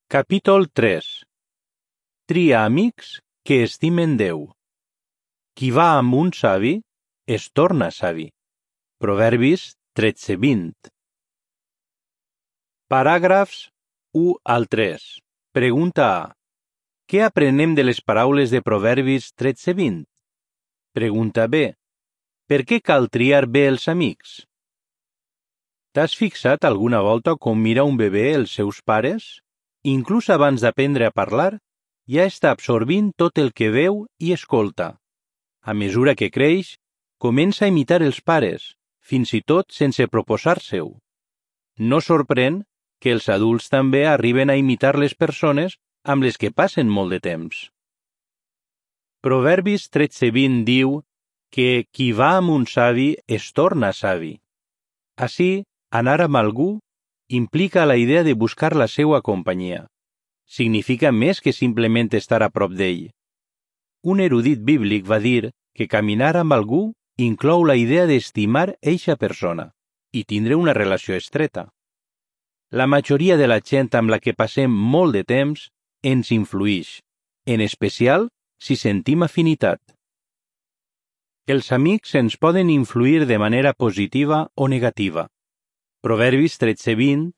Capítol 3. Tria amics que estimen Déu. Qui va amb un savi es torna savi. Proverbis 13:20. Paràgrafs 1 al 3. Pregunta A. Què aprenem de les paraules de Proverbis 13:20? Pregunta B. Per què cal triar bé els amics? T'has fixat alguna volta com mira un bebè els seus pares? Inclús abans d'aprendre a parlar, ja està absorbint tot el que veu i escolta. A mesura que creix, comença a imitar els pares, fins i tot sense proposar-se-ho. No sorprèn que els adults també arriben a imitar les persones amb les que passen molt de temps. Proverbis 13:20 diu que qui va amb un savi es torna savi. Així, anar amb algú implica la idea de buscar la seva companyia. Significa més que simplement estar a prop d'ell. Un erudit bíblic va dir que caminar amb algú inclou la idea d'estimar eixa persona i tindre una relació estreta. La majoria de la gent amb la que passem molt de temps ens influïx, en especial si sentim afinitat. Els amics ens poden influir de manera positiva o negativa. Proverbis 13:20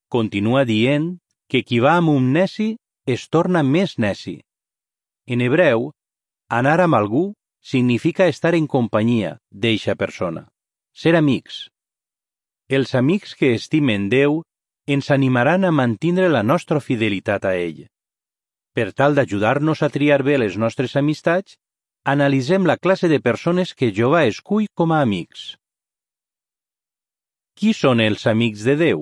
continua dient que qui va amb un neci es torna més neci. En hebreu, anar amb algú significa estar en companyia d'eixa persona, ser amics. Els amics que estimen Déu ens animaran a mantindre la nostra fidelitat a ell. Per tal d'ajudar-nos a triar bé les nostres amistats, analitzem la classe de persones que Jehovà escull com a amics. Qui són els amics de Déu?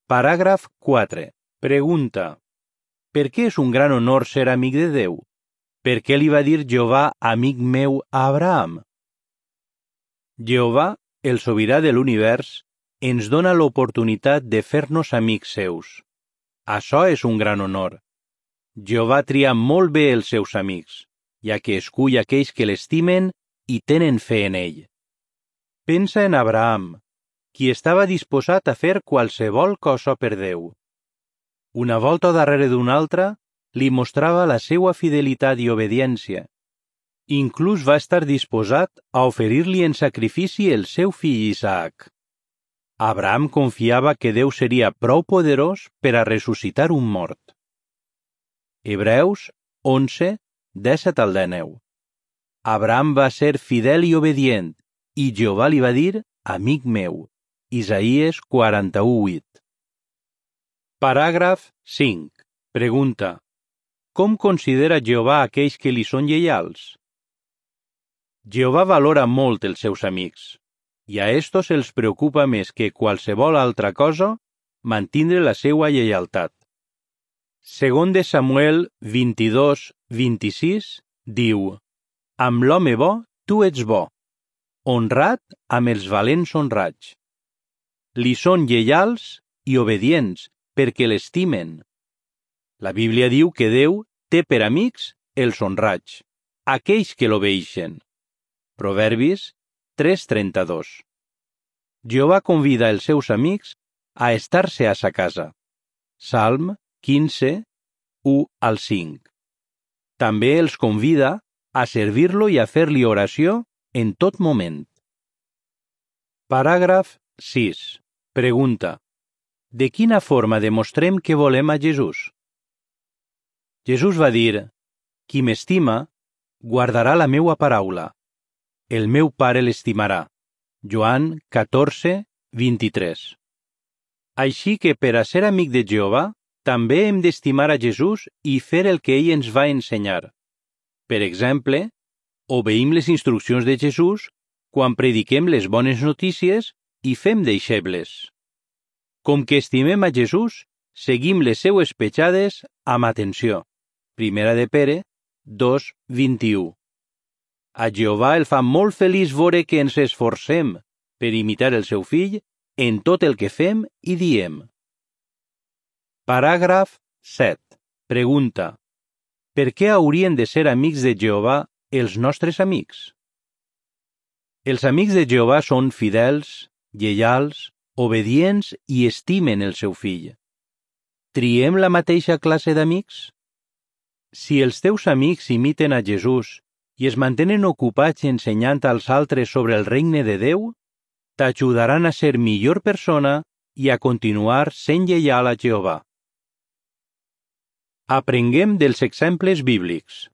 Paràgraf 4. Pregunta. Per què és un gran honor ser amic de Déu? Per què li va dir Jehovà amic meu a Abraham? Jehovà, el sobirà de l'univers, ens dona l'oportunitat de fer-nos amics seus. Això és un gran honor. Jehovà tria molt bé els seus amics, ja que escull aquells que l'estimen i tenen fe en ell. Pensa en Abraham, qui estava disposat a fer qualsevol cosa per Déu. Una volta darrere d'una altra, li mostrava la seva fidelitat i obediència. Inclús va estar disposat a oferir-li en sacrifici el seu fill Isaac. Abraham confiava que Déu seria prou poderós per a ressuscitar un mort. Hebreus 11, 17-19. Abraham va ser fidel i obedient, i Jehovà li va dir, amic meu. Isaïes 41:8. Paràgraf 5. Pregunta. Com considera Jehovà aquells que li són lleials? Jehovà valora molt els seus amics, i a estos els preocupa més que qualsevol altra cosa mantindre la seva lleialtat. Segon de Samuel 22:26 diu: Amb l'home bo tu ets bo, honrat amb els valents honrats. Li són lleials i obedients perquè l'estimen. La Bíblia diu que Déu té per amics els honrats, aquells que l'obeeixen. Proverbis 3:32. Jehovà convida els seus amics a estar-se a sa casa. Salm 15, 1-5. També els convida a servir-lo i a fer-li oració en tot moment. Paràgraf 6. Pregunta. De quina forma demostrem que volem a Jesús? Jesús va dir, qui m'estima, guardarà la meua paraula. El meu Pare l'estimarà. Joan 14:23. Així que per a ser amic de Jehovà, també hem d'estimar a Jesús i fer el que ell ens va ensenyar. Per exemple, obeïm les instruccions de Jesús quan prediquem les bones notícies i fem deixebles. Com que estimem a Jesús, seguim les seues petjades amb atenció. Primera de Pere 2:21. A Jehovà el fa molt feliç veure que ens esforcem per imitar el seu fill en tot el que fem i diem. Paràgraf 7. Pregunta. Per què haurien de ser amics de Jehovà els nostres amics? Els amics de Jehovà són fidels, lleials, obedients i estimen el seu fill. triem la mateixa classe d'amics? Si els teus amics imiten a Jesús i es mantenen ocupats ensenyant als altres sobre el regne de Déu, t'ajudaran a ser millor persona i a continuar sent lleial a Jehovà. Aprenguem dels exemples bíblics.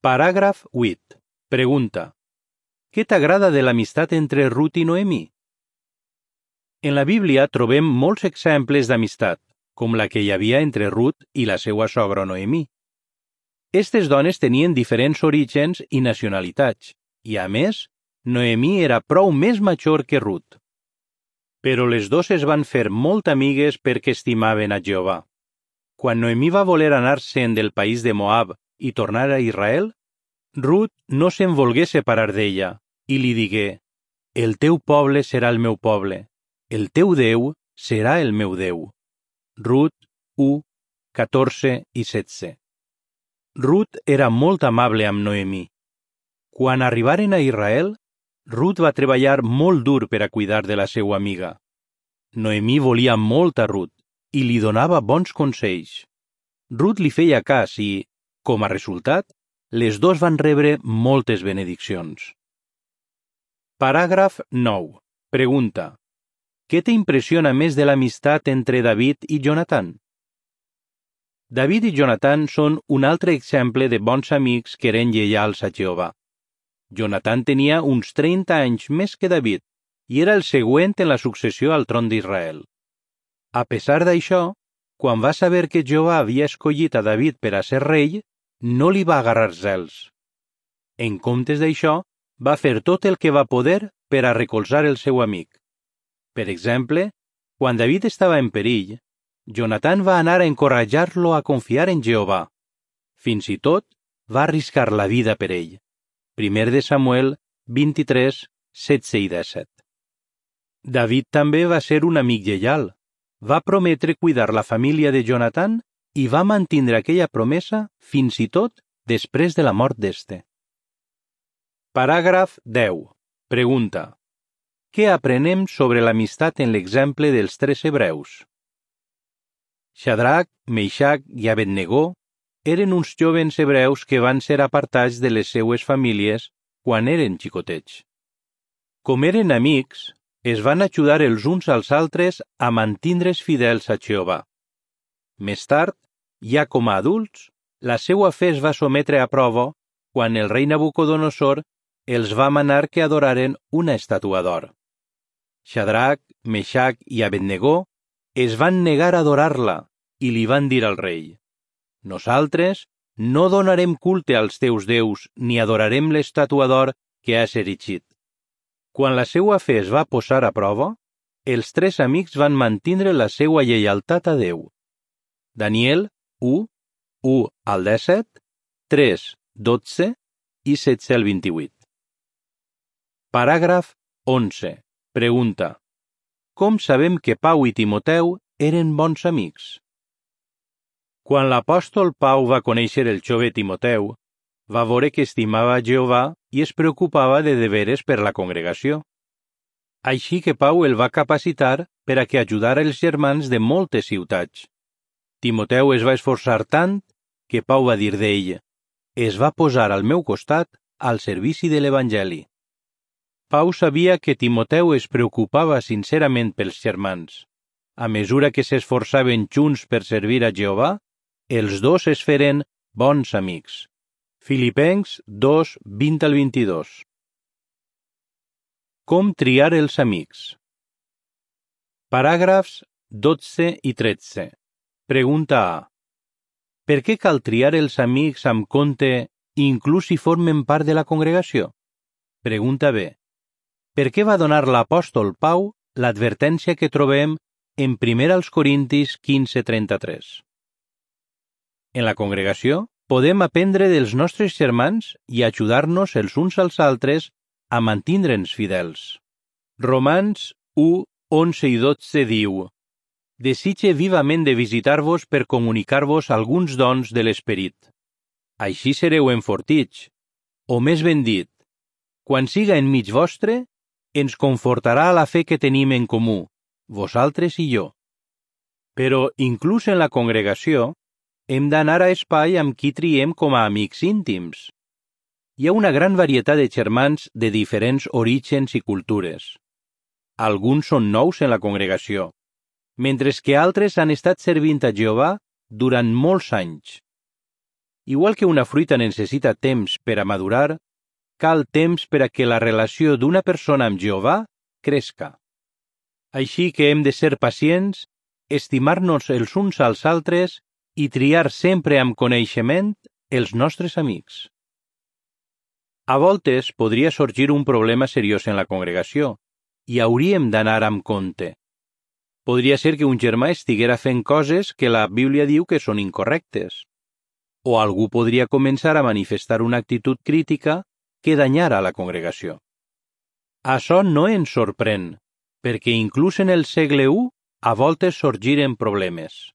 Paràgraf 8. Pregunta. Què t'agrada de l'amistat entre Rut i Noemí? En la Bíblia trobem molts exemples d'amistat, com la que hi havia entre Rut i la seva sogra Noemí. Estes dones tenien diferents orígens i nacionalitats, i a més, Noemí era prou més major que Rut. Però les dues es van fer molt amigues perquè estimaven a Jehovà. Quan Noemí va voler anar-se'n del país de Moab i tornar a Israel, Rut no se'n volgué separar d'ella i li digué: «El teu poble serà el meu poble, el teu Déu serà el meu Déu». Rut 1, 14 i 16. Rut era molt amable amb Noemí. Quan arribaren a Israel, Rut va treballar molt dur per a cuidar de la seva amiga. Noemí volia molt a Rut i li donava bons consells. Rut li feia cas i, com a resultat, les dues van rebre moltes benediccions. Paràgraf 9. Pregunta. Què t'impressiona més de l'amistat entre David i Jonatan? David i Jonatan són un altre exemple de bons amics que eren lleials a Jehovà. Jonatan tenia uns 30 anys més que David i era el següent en la successió al tron d'Israel. A pesar d'això, quan va saber que Jehovà havia escollit a David per a ser rei, no li va agarrar zels. En comptes d'això, va fer tot el que va poder per a recolzar el seu amic. Per exemple, quan David estava en perill, Jonatan va anar a encoratjar-lo a confiar en Jehovà. Fins i tot, va arriscar la vida per ell. 1 de Samuel 23, 16 i 17. David també va ser un amic lleial. Va prometre cuidar la família de Jonatan i va mantindre aquella promesa fins i tot després de la mort d'este. Paràgraf 10. Pregunta. Què aprenem sobre l'amistat en l'exemple dels 3 hebreus? Shadrac, Meixac i Abednego eren uns jovens hebreus que van ser apartats de les seues famílies quan eren xicotets. Com eren amics, es van ajudar els uns als altres a mantindre's fidels a Jehovà. Més tard, ja com a adults, la seva fe es va sometre a prova quan el rei Nabucodonosor els va manar que adoraren una estàtua d'or. Shadrac, Meixac i Abednego es van negar a adorar-la i li van dir al rei: «Nosaltres no donarem culte als teus déus ni adorarem l'estàtua d'or que has erigit». Quan la seva fe es va posar a prova, els 3 amics van mantindre la seva lleialtat a Déu. Daniel 1, 1 al 17, 3, 12 i 16 al 28. Paràgraf 11. Pregunta. Com sabem que Pau i Timoteu eren bons amics? Quan l'apòstol Pau va conèixer el jove Timoteu, va veure que estimava Jehovà i es preocupava de deberes per la congregació. Així que Pau el va capacitar per a que ajudara els germans de moltes ciutats. Timoteu es va esforçar tant que Pau va dir d'ell: «Es va posar al meu costat al servici de l'Evangeli». Pau sabia que Timoteu es preocupava sincerament pels germans. A mesura que s'esforçaven junts per servir a Jehovà, els dos es feren bons amics. Filipencs 2, 20 al 22. Com triar els amics? Paràgrafs 12 i 13. Pregunta A. Per què cal triar els amics amb compte, inclús si formen part de la congregació? Pregunta B. Per què va donar l'apòstol Pau l'advertència que trobem en 1 Corintis 15:33? En la congregació podem aprendre dels nostres germans i ajudar-nos els uns als altres a mantindre'ns fidels. Romans 1, 11 i 12 diu: «Desitge vivament de visitar-vos per comunicar-vos alguns dons de l'Esperit. Així sereu enfortits, o més ben dit, quan siga enmig vostre, ens confortarà la fe que tenim en comú, vosaltres i jo. Però, inclús en la congregació, hem d'anar a espai amb qui triem com a amics íntims. Hi ha una gran varietat de germans de diferents orígens i cultures. Alguns són nous en la congregació, mentre que altres han estat servint a Jehovà durant molts anys. Igual que una fruita necessita temps per a madurar, cal temps per a que la relació d'una persona amb Jehovà cresca. Així que hem de ser pacients, estimar-nos els uns als altres i triar sempre amb coneixement els nostres amics. A voltes podria sorgir un problema seriós en la congregació i hauríem d'anar amb compte. Podria ser que un germà estiguera fent coses que la Bíblia diu que són incorrectes, o algú podria començar a manifestar una actitud crítica que danyara la congregació. Això no ens sorprèn, perquè inclús en el segle I a voltes sorgiren problemes.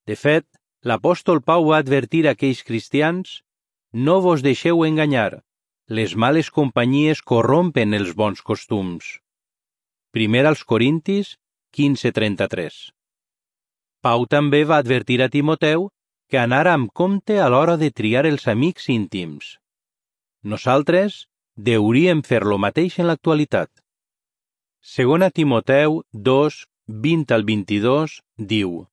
De fet, l'apòstol Pau va advertir a aquells cristians: «No vos deixeu enganyar, les males companyies corrompen els bons costums». 1 Corintis 15:33. Pau també va advertir a Timoteu que anara amb compte a l'hora de triar els amics íntims. Nosaltres hauríem fer lo mateix en l'actualitat. 2 Timoteu 2, 20-22 diu: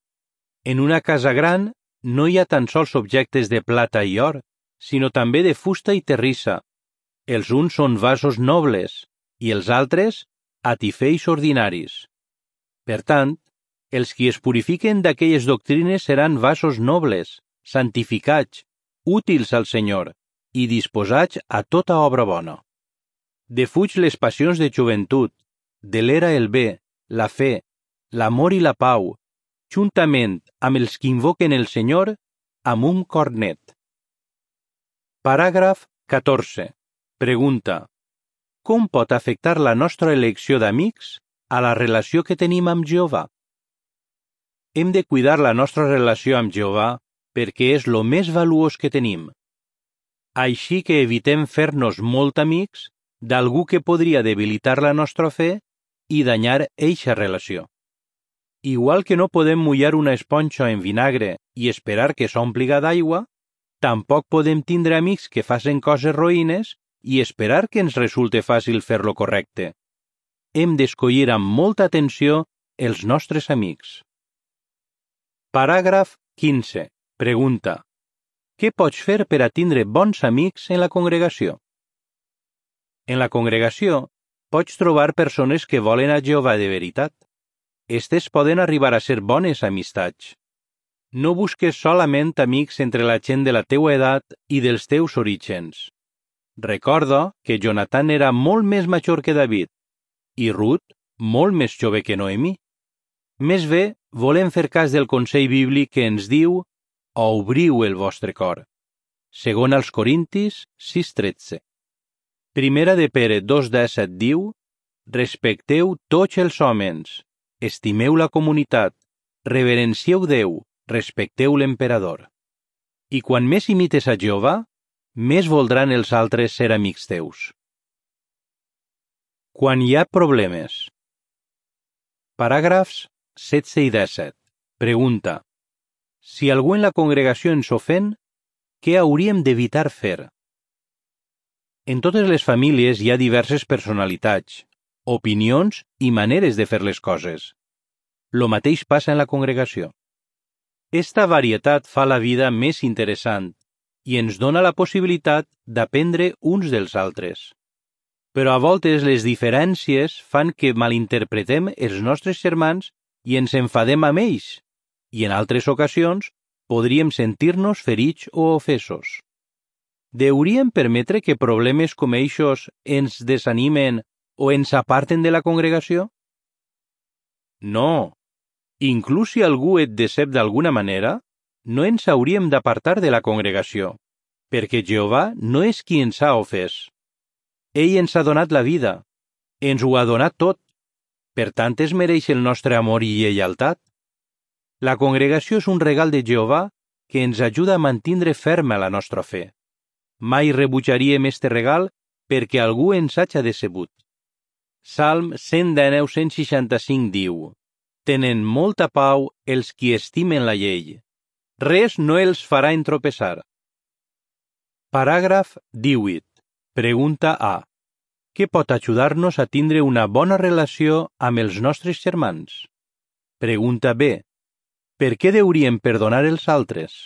«En una casa gran no hi ha tan sols objectes de plata i or, sinó també de fusta i terrissa. Els uns són vasos nobles i els altres atifeix ordinaris. Per tant, els qui es purifiquen d'aquelles doctrines seran vasos nobles, santificats, útils al Senyor i disposats a tota obra bona. Defuig les passions de joventut, de l'era el bé, la fe, l'amor i la pau, juntament amb els que invoquen el Senyor amb un cor net». Paràgraf 14. Pregunta: com pot afectar la nostra elecció d'amics a la relació que tenim amb Jehovà? Hem de cuidar la nostra relació amb Jehovà perquè és lo més valuós que tenim. Així que evitem fer-nos molt amics d'algú que podria debilitar la nostra fe i danyar eixa relació. Igual que no podem mullar una esponja en vinagre i esperar que s'ompliga d'aigua, tampoc podem tindre amics que facin coses roïnes i esperar que ens resulte fàcil fer-lo correcte. Hem d'escollir amb molta atenció els nostres amics. Paràgraf 15. Pregunta: què pots fer per a tindre bons amics en la congregació? En la congregació pots trobar persones que volen a Jehovà de veritat. Estes poden arribar a ser bones amistats. No busques solament amics entre la gent de la teua edat i dels teus orígens. Recorda que Jonathan era molt més major que David i Ruth molt més jove que Noemí. Més bé, volem fer cas del consell bíblic que ens diu: obriu el vostre cor. 2 Corintis 6:13. 1 de Pere 2:17 diu: respecteu tots els homes, estimeu la comunitat, reverencieu Déu, respecteu l'emperador. I quan més imites a Jehovà, més voldran els altres ser amics teus. Quan hi ha problemes. Paràgrafs 16 i 17. Pregunta: si algú en la congregació ens ofèn, què hauríem d'evitar fer? En totes les famílies hi ha diverses personalitats, opinions i maneres de fer les coses. Lo mateix passa en la congregació. Esta varietat fa la vida més interessant i ens dona la possibilitat d'aprendre uns dels altres. Però a voltes les diferències fan que malinterpretem els nostres germans i ens enfadem amb ells, i en altres ocasions podríem sentir-nos ferits o ofesos. Hauríem permetre que problemes com eixos ens desanimen o ens aparten de la congregació? No. Inclús si algú et decep d'alguna manera, no ens hauríem d'apartar de la congregació, perquè Jehovà no és qui ens ha ofès. Ell ens ha donat la vida, ens ho ha donat tot, per tant es mereix el nostre amor i lleialtat. La congregació és un regal de Jehovà que ens ajuda a mantindre ferma la nostra fe. Mai rebutjaríem este regal perquè algú ens haja decebut. Salm 119-165 diu: Tenen molta pau els qui estimen la llei. Res no els farà entropeçar. Paràgraf 18. Pregunta A. Què pot ajudar-nos a tindre una bona relació amb els nostres germans? Pregunta B. Per què hauríem perdonar els altres?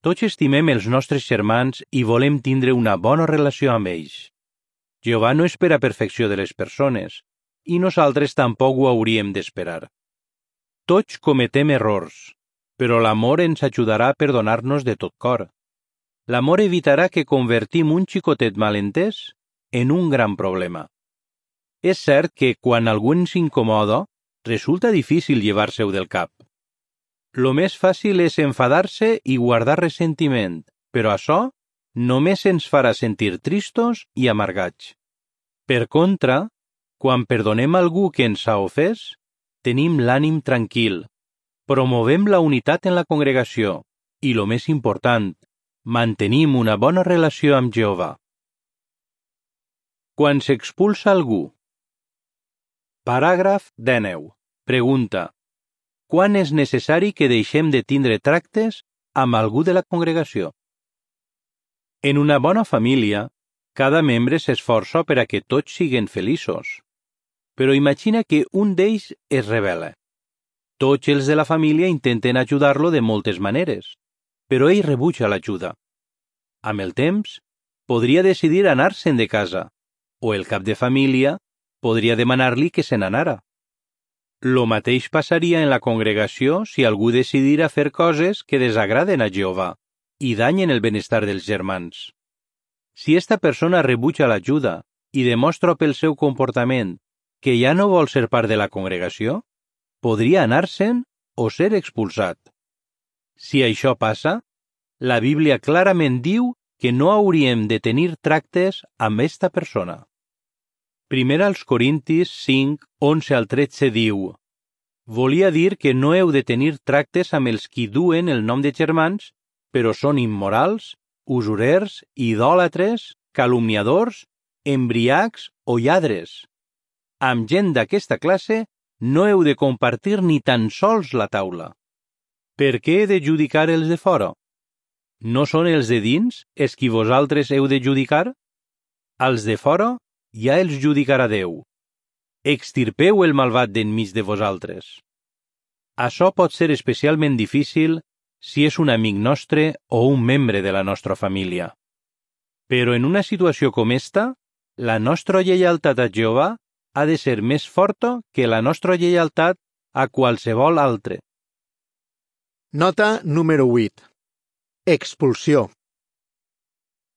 Tots estimem els nostres germans i volem tindre una bona relació amb ells. Jehovà no espera perfecció de les persones, i nosaltres tampoc ho hauríem d'esperar. Tots cometem errors, però l'amor ens ajudarà a perdonar-nos de tot cor. L'amor evitarà que convertim un xicotet malentès en un gran problema. És cert que quan algú ens incomoda, resulta difícil llevar-se-ho del cap. Lo més fàcil és enfadar-se i guardar ressentiment, però això només ens farà sentir tristos i amargats. Per contra, quan perdonem algú que ens ha ofès, tenim l'ànim tranquil, promovem la unitat en la congregació i, lo més important, mantenim una bona relació amb Jehovà. Quan s'expulsa algú. Paràgraf 19. Pregunta. Quan és necessari que deixem de tindre tractes amb algú de la congregació? En una bona família, cada membre s'esforça per a que tots siguin feliços. Però imagina que un d'ells es rebel·la. Tots els de la família intenten ajudar-lo de moltes maneres, però ell rebutja l'ajuda. Amb el temps, podria decidir anar-se'n de casa, o el cap de família podria demanar-li que se n'anara. Lo mateix passaria en la congregació si algú decidira fer coses que desagraden a Jehovà i danyen el benestar dels germans. Si esta persona rebutja l'ajuda i demostra pel seu comportament que ja no vol ser part de la congregació, podria anar-se'n o ser expulsat. Si això passa, la Bíblia clarament diu que no hauríem de tenir tractes amb esta persona. Primera als Corintis 5, 11 al 13 diu: Volia dir que no heu de tenir tractes amb els qui duen el nom de germans, però són immorals, usurers, idòlatres, calumniadors, embriacs o lladres. Amb gent d'aquesta classe no heu de compartir ni tan sols la taula. Per què he de judicar els de fora? No són els de dins els qui vosaltres heu de judicar? Als de fora ja els judicarà Déu. Extirpeu el malvat d'enmig de vosaltres. Això pot ser especialment difícil si és un amic nostre o un membre de la nostra família. Però en una situació com esta, la nostra lleialtat a Jehovà ha de ser més forta que la nostra lleialtat a qualsevol altre. Nota número 8. Expulsió.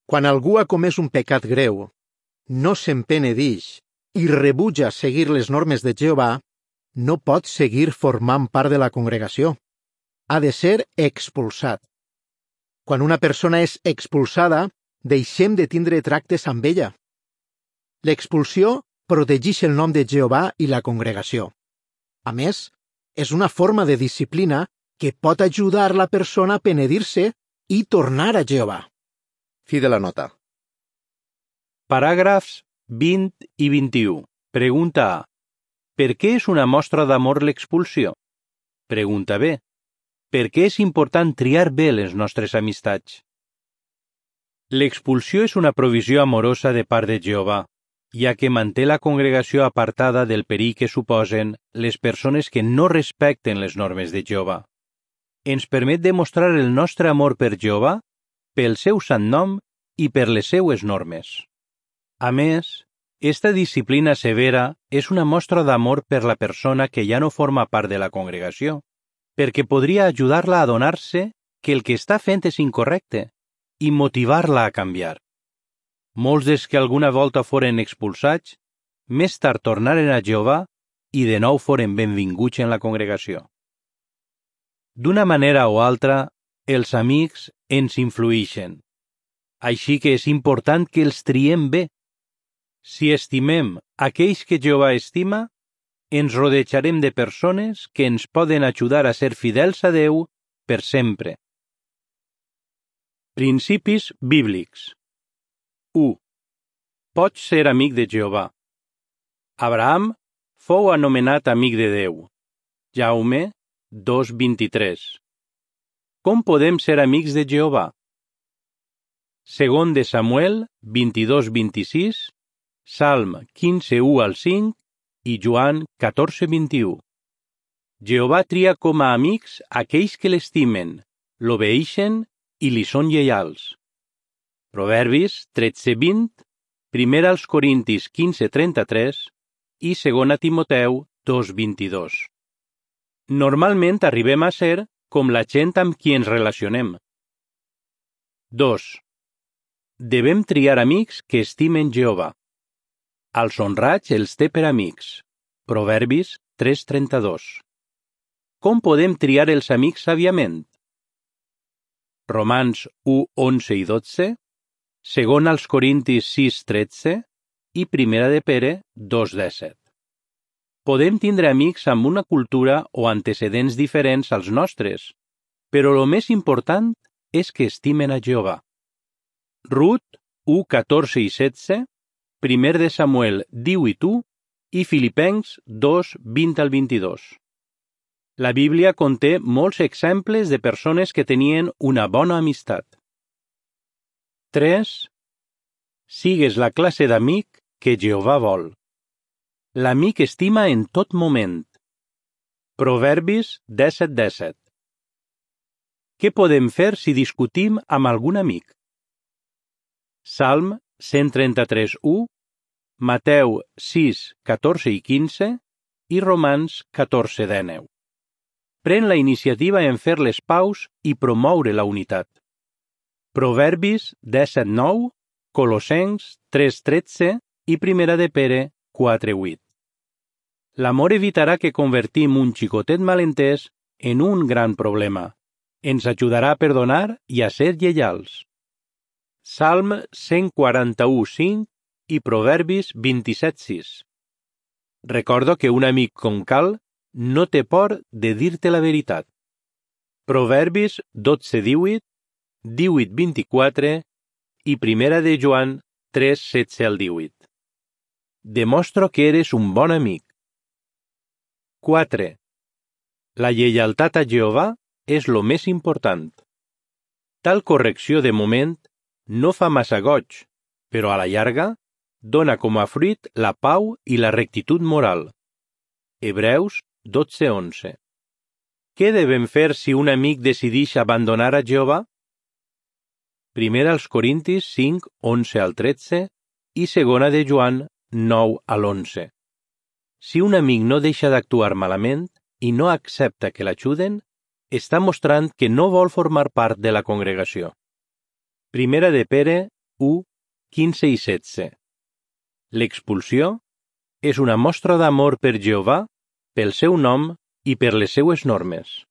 Quan algú ha comès un pecat greu, no se'n penedix i rebutja seguir les normes de Jehovà, no pot seguir formant part de la congregació. Ha de ser expulsat. Quan una persona és expulsada, deixem de tindre tractes amb ella. L'expulsió protegeix el nom de Jehovà i la congregació. A més, és una forma de disciplina que pot ajudar la persona a penedir-se i tornar a Jehovà. Fi de la nota. Paràgrafs 20 i 21. Pregunta A. Per què és una mostra d'amor l'expulsió? Pregunta B. Per què és important triar bé les nostres amistats? L'expulsió és una provisió amorosa de part de Jehovà, ja que manté la congregació apartada del perill que suposen les persones que no respecten les normes de Jehovà. Ens permet demostrar el nostre amor per Jehovà, pel seu sant nom i per les seues normes. A més, esta disciplina severa és una mostra d'amor per la persona que ja no forma part de la congregació, perquè podria ajudar-la a adonar-se que el que està fent és incorrecte i motivar-la a canviar. Molts dels que alguna volta foren expulsats, més tard tornaren a Jehovà i de nou foren benvinguts en la congregació. D'una manera o altra, els amics ens influïxen. Així que és important que els triem bé. Si estimem aquells que Jehovà estima, ens rodejarem de persones que ens poden ajudar a ser fidels a Déu per sempre. Principis bíblics. 1. Pots ser amic de Jehovà. Abraham fou anomenat amic de Déu. Jaume 2:23. Com podem ser amics de Jehovà? Segon de Samuel 22:26, Salm 15:1-5 i Joan 14:21. Jehovà tria com a amics aquells que l'estimen, l'obeeixen i li són lleials. Proverbis 13:20, 1 als Corintis 15:33 i 2 Timoteu 2:22. Normalment arribem a ser com la gent amb qui ens relacionem. 2. Devem triar amics que estimen Jehovà. Als honrats els té per amics. Proverbis 3:32. Com podem triar els amics sàviament? Romans 1:11 i 12, segon als Corintis 6:13 i primera de Pere 2:17. Podem tindre amics amb una cultura o antecedents diferents als nostres, però el més important és que estimen a Jehovà. Rut 1:14 i 16, 1 de Samuel 18 i Filipencs 2:20-22. La Bíblia conté molts exemples de persones que tenien una bona amistat. 3. Sigues la classe d'amic que Jehovà vol. L'amic estima en tot moment. Proverbis 10:17. Què podem fer si discutim amb algun amic? Salm 133:1, Mateu 6:14 i 15 i Romans 14:19. Pren la iniciativa en fer les paus i promoure la unitat. Proverbis 17:9, Colossencs 3:13 i primera de Pere 4:8. L'amor evitarà que convertim un xicotet malentès en un gran problema. Ens ajudarà a perdonar i a ser lleials. Salm 141:5 i Proverbis 27:6. Recordo que un amic com cal no té por de dir-te la veritat. Proverbis 12:18, 18:24 i primera de Joan 3:16-18. Demostro que eres un bon amic. 4. La lleialtat a Jehovà és lo més important. Tal correcció de moment no fa massa goig, però a la llarga dona com a fruit la pau i la rectitud moral. Hebreus 12:11. Què devem fer si un amic decideix abandonar a Jehovà? 1 als Corintis 5:11-13 i 2 de Joan 9-11. Si un amic no deixa d'actuar malament i no accepta que l'ajuden, està mostrant que no vol formar part de la congregació. Primera de Pere 1:15 i 16. L'expulsió és una mostra d'amor per Jehovà, pel seu nom i per les seues normes.